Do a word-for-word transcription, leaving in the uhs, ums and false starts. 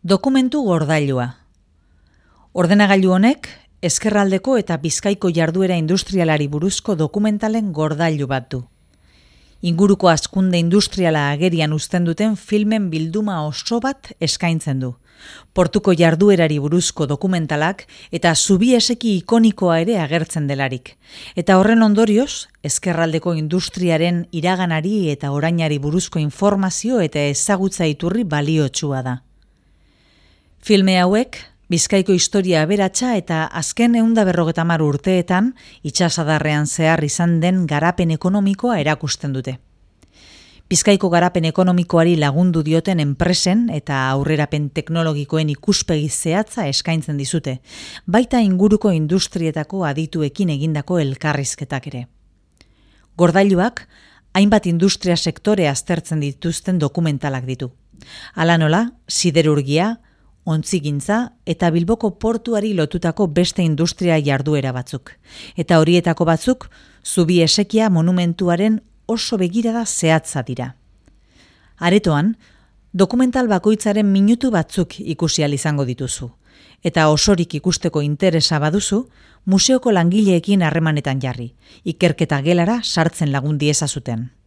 Dokumentu gordailua. Ordenagailu honek, ezkerraldeko eta Bizkaiko jarduera industrialari buruzko dokumentalen gordailu bat du. Inguruko hazkunde industriala agerian uzten duten filmen bilduma oso bat eskaintzen du. Portuko jarduerari buruzko dokumentalak eta zubieseki ikonikoa ere agertzen delarik. Eta horren ondorioz, ezkerraldeko industriaren iraganari eta orainari buruzko informazio eta ezagutza iturri baliotsua da. Filme hauek, Bizkaiko historia aberatsa eta azken ehun eta berrogeita hamar urteetan itsasadarrean zehar izan den garapen ekonomikoa erakusten dute. Bizkaiko garapen ekonomikoari lagundu dioten enpresen eta aurrerapen teknologikoen ikuspegi zehatza eskaintzen dizute, baita inguruko industrietako adituekin egindako elkarrizketak ere. Gordailuak, hainbat industria sektore aztertzen dituzten dokumentalak ditu. Hala nola, siderurgia, ontzigintza eta Bilboko portuari lotutako beste industria jarduera batzuk. Eta horietako batzuk, zubi esekia monumentuaren oso begirada zehatza dira. Aretoan, dokumental bakoitzaren minutu batzuk ikusi ahal izango dituzu. Eta osorik ikusteko interesa baduzu, museoko langileekin harremanetan jarri, ikerketa gelara sartzen lagun diezazuten.